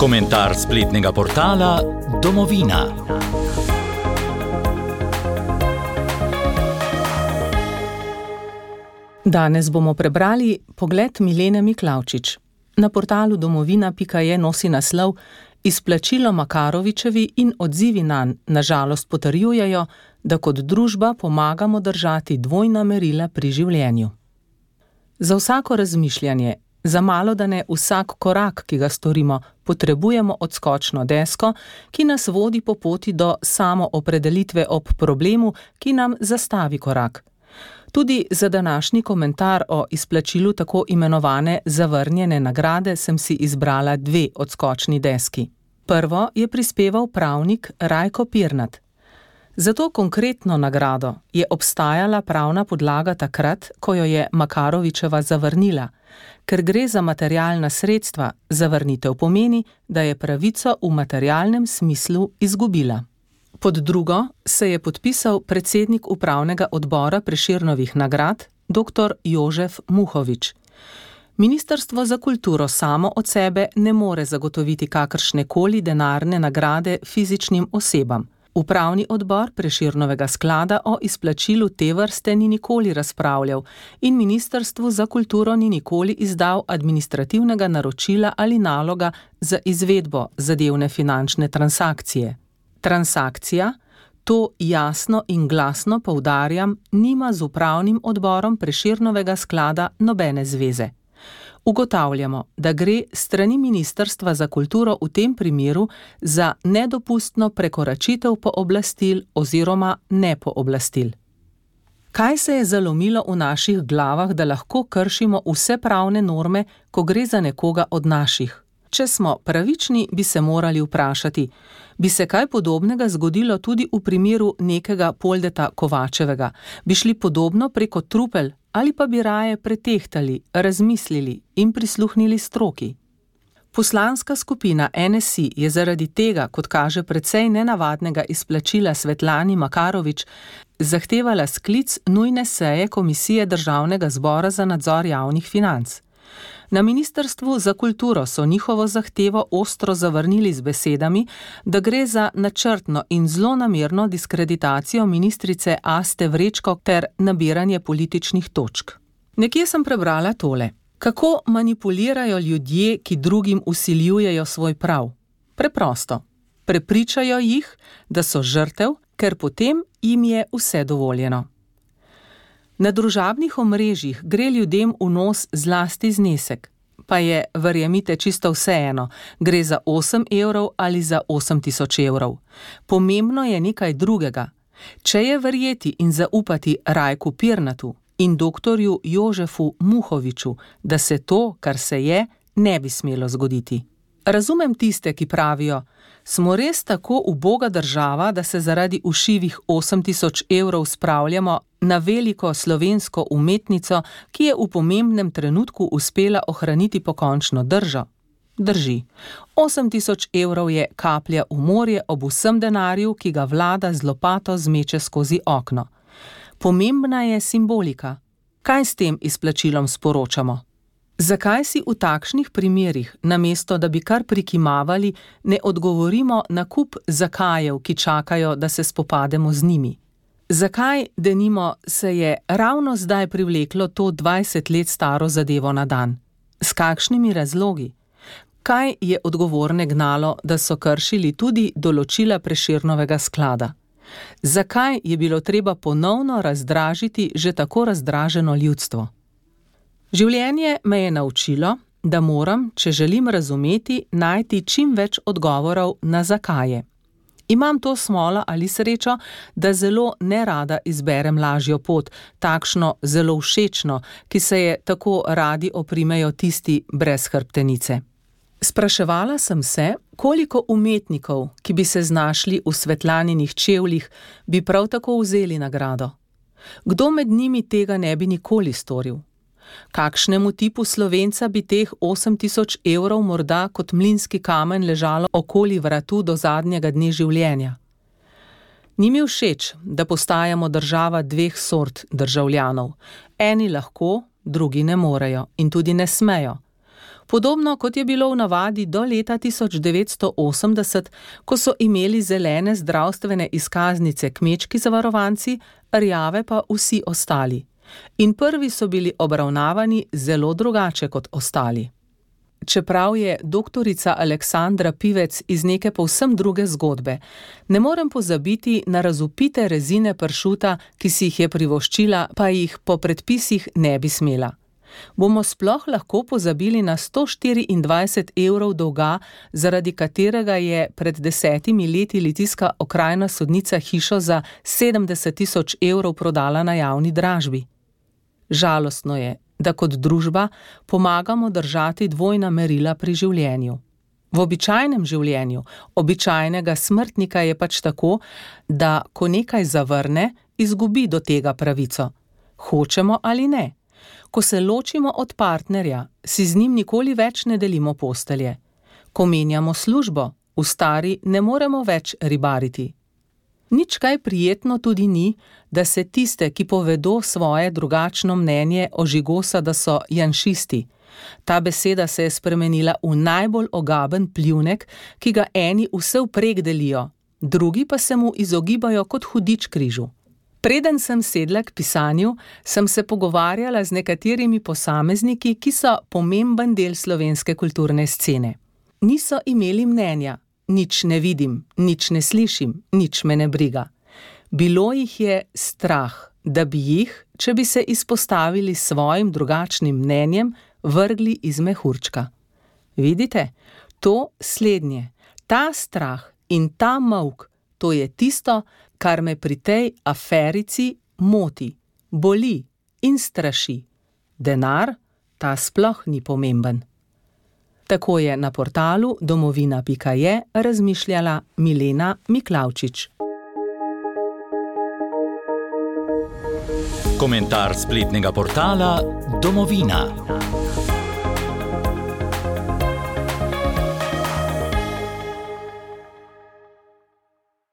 Komentar spletnega portala Domovina. Danes bomo prebrali pogled Milene Miklavčič. Na portalu domovina.je nosi naslov Izplačilo Makarovičevi in odzivi nanj na žalost potrjujejo, da kot družba pomagamo držati dvojna merila pri življenju. Za vsako razmišljanje, za malodane vsak korak, ki ga storimo, potrebujemo odskočno desko, ki nas vodi po poti do samoopredelitve ob problemu, ki nam zastavi korak. Tudi za današnji komentar o izplačilu tako imenovane zavrnjene nagrade sem si izbrala dve odskočni deski. Prvo je prispeval pravnik Rajko Pirnat. Za to konkretno nagrado je obstajala pravna podlaga takrat, ko jo je Makarovičeva zavrnila. Ker gre za materialna sredstva, zavrnitev pomeni, da je pravico v materialnem smislu izgubila. Pod drugo se je podpisal predsednik upravnega odbora Prešernovih nagrad, dr. Jožef Muhovič. Ministrstvo za kulturo samo od sebe ne more zagotoviti kakršnekoli denarne nagrade fizičnim osebam. Upravni odbor Prešernovega sklada o izplačilu te vrste ni nikoli razpravljal in Ministrstvu za kulturo ni nikoli izdal administrativnega naročila ali naloga za izvedbo zadevne finančne transakcije. Transakcija, to jasno in glasno poudarjam, nima z upravnim odborom Prešernovega sklada nobene zveze. Ugotavljamo, da gre strani Ministrstva za kulturo v tem primeru za nedopustno prekoračitev pooblastil oziroma nepooblastil. Kaj se je zalomilo v naših glavah, da lahko kršimo vse pravne norme, ko gre za nekoga od naših? Če smo pravični, bi se morali vprašati, bi se kaj podobnega zgodilo tudi v primeru nekega Poldeta Kovačevega? Bi šli podobno preko trupel ali pa bi raje pretehtali, razmislili in prisluhnili stroki? Poslanska skupina NSI je zaradi tega, kot kaže precej nenavadnega izplačila Svetlani Makarovič, zahtevala sklic nujne seje Komisije Državnega zbora za nadzor javnih financ. Na Ministrstvu za kulturo so njihovo zahtevo ostro zavrnili z besedami, da gre za načrtno in zlonamerno diskreditacijo ministrice Aste Vrečko ter nabiranje političnih točk. Nekje sem prebrala tole. Kako manipulirajo ljudje, ki drugim vsiljujejo svoj prav? Preprosto. Prepričajo jih, da so žrtev, ker potem jim je vse dovoljeno. Na družabnih omrežjih gre ljudem v nos zlasti znesek, pa je, verjemite, čisto vseeno, gre za 8 evrov ali za 8000 evrov. Pomembno je nekaj drugega. Če je verjeti in zaupati Rajku Pirnatu in doktorju Jožefu Muhoviču, da se to, kar se je, ne bi smelo zgoditi. Razumem tiste, ki pravijo, smo res tako uboga država, da se zaradi ušivih 8000 evrov spravljamo na veliko slovensko umetnico, ki je v pomembnem trenutku uspela ohraniti pokončno držo. Drži. 8000 evrov je kaplja v morje ob vsem denarju, ki ga vlada z lopato zmeče skozi okno. Pomembna je simbolika. Kaj s tem izplačilom sporočamo? Zakaj si v takšnih primerih, namesto da bi kar prikimavali, ne odgovorimo na kup zakajev, ki čakajo, da se spopademo z njimi? Zakaj, denimo, se je ravno zdaj privleklo to 20 let staro zadevo na dan? S kakšnimi razlogi? Kaj je odgovorne gnalo, da so kršili tudi določila Prešernovega sklada? Zakaj je bilo treba ponovno razdražiti že tako razdraženo ljudstvo? Življenje me je naučilo, da moram, če želim razumeti, najti čim več odgovorov na zakaje. Imam to smolo ali srečo, da zelo nerada izberem lažjo pot, takšno zelo všečno, ki se je tako radi oprimejo tisti brez hrbtenice. Spraševala sem se, koliko umetnikov, ki bi se znašli v Svetlaninih čevljih, bi prav tako vzeli nagrado. Kdo med njimi tega ne bi nikoli storil? Kakšnemu tipu Slovenca bi teh 8000 evrov morda kot mlinski kamen ležalo okoli vratu do zadnjega dne življenja? Ni mi všeč, da postajamo država dveh sort državljanov. Eni lahko, drugi ne morejo in tudi ne smejo. Podobno kot je bilo v navadi do leta 1980, ko so imeli zelene zdravstvene izkaznice kmečki zavarovanci, rjave pa vsi ostali. In prvi so bili obravnavani zelo drugače kot ostali. Čeprav je doktorica Aleksandra Pivec iz neke povsem druge zgodbe, ne morem pozabiti na razvpite rezine pršuta, ki si jih je privoščila, pa jih po predpisih ne bi smela. Bomo sploh lahko pozabili na 124 evrov dolga, zaradi katerega je pred 10 leti litijska okrajna sodnica hišo za 70 000 evrov prodala na javni dražbi? Žalostno je, da kot družba pomagamo držati dvojna merila pri življenju. V običajnem življenju, običajnega smrtnika je pač tako, da ko nekaj zavrne, izgubi do tega pravico. Hočemo ali ne. Ko se ločimo od partnerja, si z njim nikoli več ne delimo postelje. Ko menjamo službo, v stari ne moremo več ribariti. Nič kaj prijetno tudi ni, da se tiste, ki povedo svoje drugačno mnenje, ožigosa, da so janšisti. Ta beseda se je spremenila v najbolj ogaben pljuvnek, ki ga eni vse vprek delijo, drugi pa se mu izogibajo kot hudič križu. Preden sem sedla k pisanju, sem se pogovarjala z nekaterimi posamezniki, ki so pomemben del slovenske kulturne scene. Niso imeli mnenja. Nič ne vidim, nič ne slišim, nič me ne briga. Bilo jih je strah, da bi jih, če bi se izpostavili svojim drugačnim mnenjem, vrgli iz mehurčka. Vidite, to slednje, ta strah in ta molk, to je tisto, kar me pri tej aferici moti, boli in straši. Denar, ta sploh ni pomemben. Tako je na portalu domovina.je razmišljala Milena Miklavčič. Komentar spletnega portala Domovina.